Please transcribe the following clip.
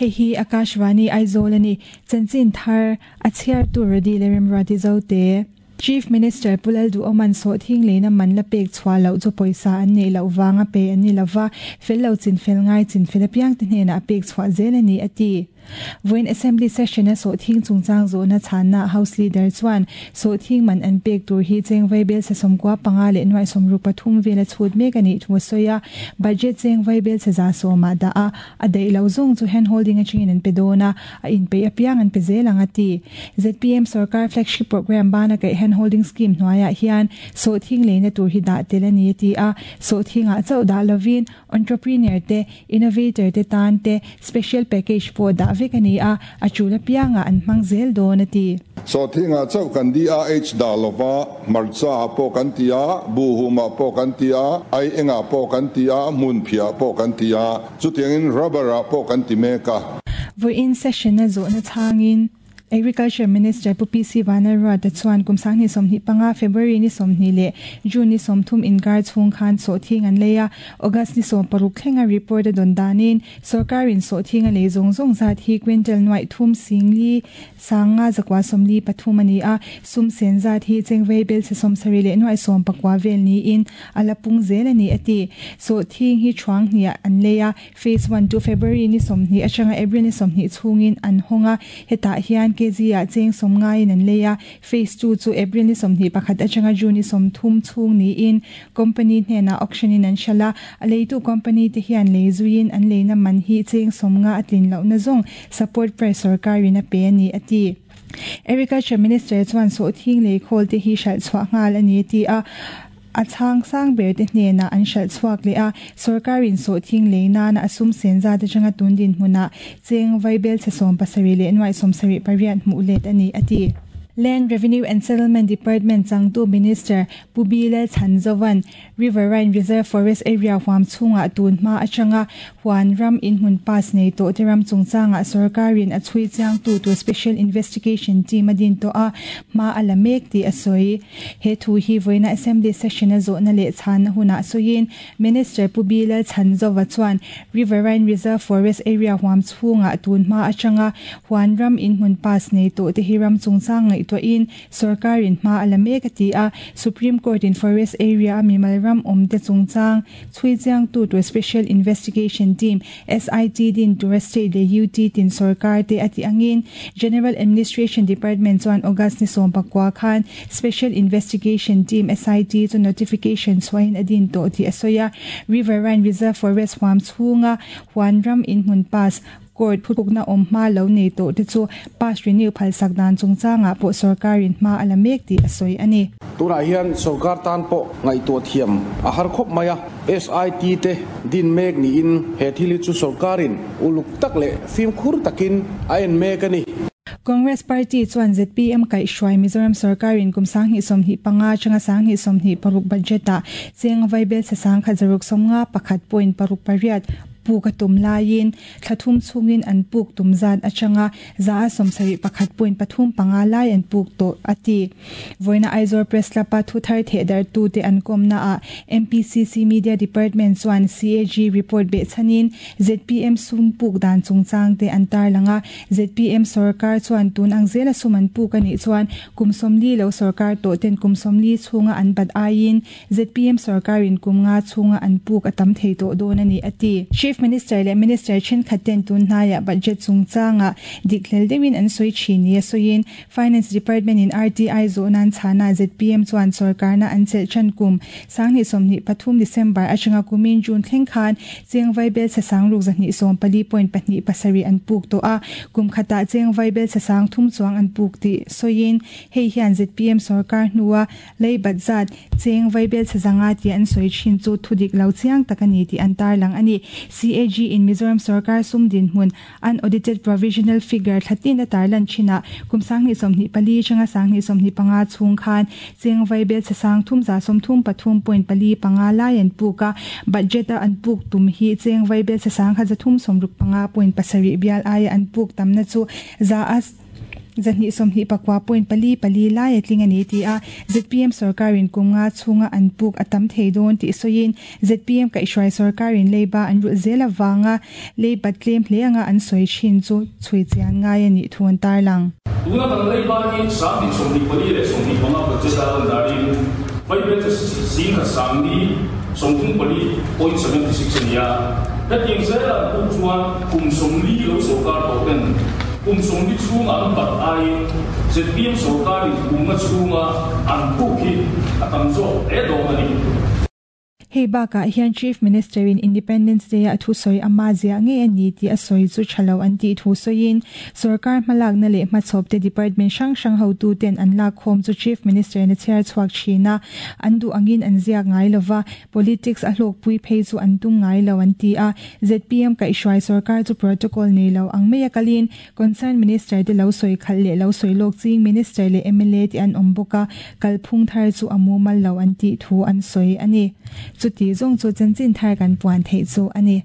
Hei hi Akashvani Aizawl a ni. Chanchin thar a chhiartu Rody leh Remruati Zote. Chief Minister Pu Lalduhawma'n sawhthing leina man la pek chhuah loh chu pawisa an neih loh vanga pe an ni lova, fel lo chinfel ngai chinfel apiangte hnenah a pek chhuah zel a ni, a ti. Vawiin Assembly Session a sawhthing chungchang zawhna chhanna House Leader chuan sawhthing man an pek tur hi cheng vaibel sa 95 leh nuaih 63 vel a chhut mek a nih thu a sawi a, budget cheng vaibel sa 110 ah dah a, a daih lo zawng chu hand holding atangin an pe dawn a, a inpeih apiang an pe zel ang a ti. Zpm sorkar flagship programme bana kaih hand holding scheme hnuaiah hian sawhthing leina tur hi dah tel a ni a ti a, sawhthingah chauh dah lovin Entrepreneur te, Innovator te tan te special package pawh dah vek a ni a, a tul apiangah an hmang zel dawn a ti. Sawhthingah chauh kan DRH dah lova, hmarcha ah pawh kan ti a, buhhum ah pawh kan ti a, ai engah pawh kan ti a, hmunphiah ah pawh kan ti a, chutiangin rubber ah pawh kan ti mek a. Vawiin session-a zawhna chhangin. Agriculture Minister Pu PC Vanlalruata chuan kum 2025 February ni 20 leh June ni 30 inkar chhung khan sawhthing an lei a, August ni 16 thlenga report a dawn danin sawrkarin sawhthing a lei zawng zawng zat hi quintal nuaih thum sing li sanga zakua 43 a ni a, sum sen zat hi chengvei belchhe 70 leh nuaih 19 vel niin a la pung zel a ni a ti. Sawhthing hi thuang hniah an lei a, Phase one chu February ni 20 atanga April ni 20 chhungin an hawng a, hetah hian kg ah cheng 90 in an lei a. Phase two chu April ni 21 atanga June ni 30 chhung niin company hnenah auction in an hralh a, a leitu company te hian lei zuiin an leina man hi cheng 50 a tlin lohna zawng support price sorkarin a pe a ni, a ti. Agriculture Minister chuan sawhthing lei khawl te hi hralh chhuah nghal a ni a ti a. A chhang sang ber te hnenah an hralh chhuak leh a, sawrkarin sawhthing lei nana a sum sen zat atanga tun dinhmunah cheng vaibelchhe 70 leh nuaih 78 hmuh let a ni, a ti. Land Revenue and Settlement Department changtu Minister Pu Bi Lalchhanzova'n Riverine Reserve Forest Area huam chhungah tun hma atanga huan ram inhmun pass nei tawh te ram chungchangah sawrkarin a chhui chiangtu tur Special Investigation Team a din tawh a, hma a la mek tih a sawi. He thu hi vawiina Assembly session a zawhna leh chhanna hunah sawiin Minister Pu Bi Lalchhanzova chuan Riverine Reserve Forest Area huam chhungah tun hma atanga huan ram inhmun pass nei tawh te hi ram chungchang ngaihtuahin sawrkarin hma a la mek a ti a. Supreme Court in Forest Area a mimal ram awm te chungchang chhui chiangtu tur Special Investigation Team, SIT, din tura State leh UT tin sawrkar te a tih angin General Administration Department chuan August ni 19 khan Special Investigation Team, SIT, chu notification chhuahin a din tawh tih a sawi a. Riverine Reserve Forest huam chhunga huan ram inhmun pass, Court phukna awm hma lo nei tawh te chu pass renew phalsak dan chungchangah pawh sawrkarin hma a la mek tih a sawi a ni. Tunah hian sawrkar tan pawh ngaihtuah thiam a har khawp mai a, SIT te din mek niin he thil hi chu sawrkarin uluk tak leh fimkhur takin a en mek a ni. Congress Party chuan zpm kaihhruai Mizoram sawrkarin kum 2025 atanga 2026 budget-ah cheng vaibelchhe 1,651.68 puk a tum laiin Thla thum chhungin an puk tum zat atanga 71.35 lai an puk tawh, a ti. Vawiina Aizawl Press Club-a thu thar thehdarhtute an kawmnaah MPCC Media Department chuan CAG report behchhanin zpm sum puk dan chungchangte an tarlang a. Zpm sawrkar chuan tun ang zela sum an puk a nih chuan kum 40 lo sawrkar tawh ten kum 40 chhunga an bat aiin Zpm sawrkarin kum nga chhunga an puk a tam thei tawh dawn a ni, a ti. Chief Minister leh Minister thenkhat ten tun hnaiah budget chungchangah dik hlel deuhin an sawi thin nia sawiin Finance Department in RTI zawh nan chhana zpm chuan sawrkarna an chelh than kum 2023 December atanga kumin June thleng khan cheng vaibel chhe 6,214.27 an puk tawh a, kum khatah cheng vaibel chhe 3,000 chuang an puk tih sawiin hei hian zpm sawrkar hnua Lei bat zat, cheng vaibel chhe zanga tih an sawi thin chu thu dik lo chiang tak a ni tih an tarlang a ni. CAG in Mizoram sawrkar sum dinhmun unaudited provisional figure thla tin a tarlan thinah kum 2024 atanga 2025 chhung khan cheng vaibel chhe 3,133.45 lai an puk a, budget a an puk tum hi cheng vaibel chhe 1,365.7 bial aia an puk tamna chu za a. 224 point pali pali lai a tling a ni ti a, zpm sorkarin kum nga chhunga an puk a tam thei dawn tih sawiin zpm kaihhruai sorkarin leiba an rulh zel avanga leiba tlem hle anga an sawi thin chu chhui chian ngai a nih thu an tarlang. Tuna kan leiba hi 2024 leh 25 budget a lan danin vaibelchhe 10,434.76 a ni a. Hetiang zela an puk chuan kum 40 lo sorkar tawh ten kum 40 chhunga an bat aiin zpm sorkarin kum nga chhunga an puk hi a tam zawk hle dawn a ni. Hei bakah hian Chief Minister in Independence Day a thusawi ama ziah ngei a ni tih a sawi chu tha lo an tih thu sawiin sorkar hmalakna leh hmachhawp te department hrang hrang hotu ten an lak khawm chu Chief Minister in a chhiar chhuak thin a, an duh angin an ziak ngai lova, politics a hlawkpui phei chu an tum ngai lo an ti a. Zpm kaihhruai sorkar chu protocol nei lo ang mai a kalin Concern Minister te lo sawi khalh leh lo sawi lawk ching Minister leh mla te an awm bawk a, kalphung thar chu a mumal lo an tih thu an sawi a ni. Chuti zawng chu chanchin thar kan puan theih chu a ni.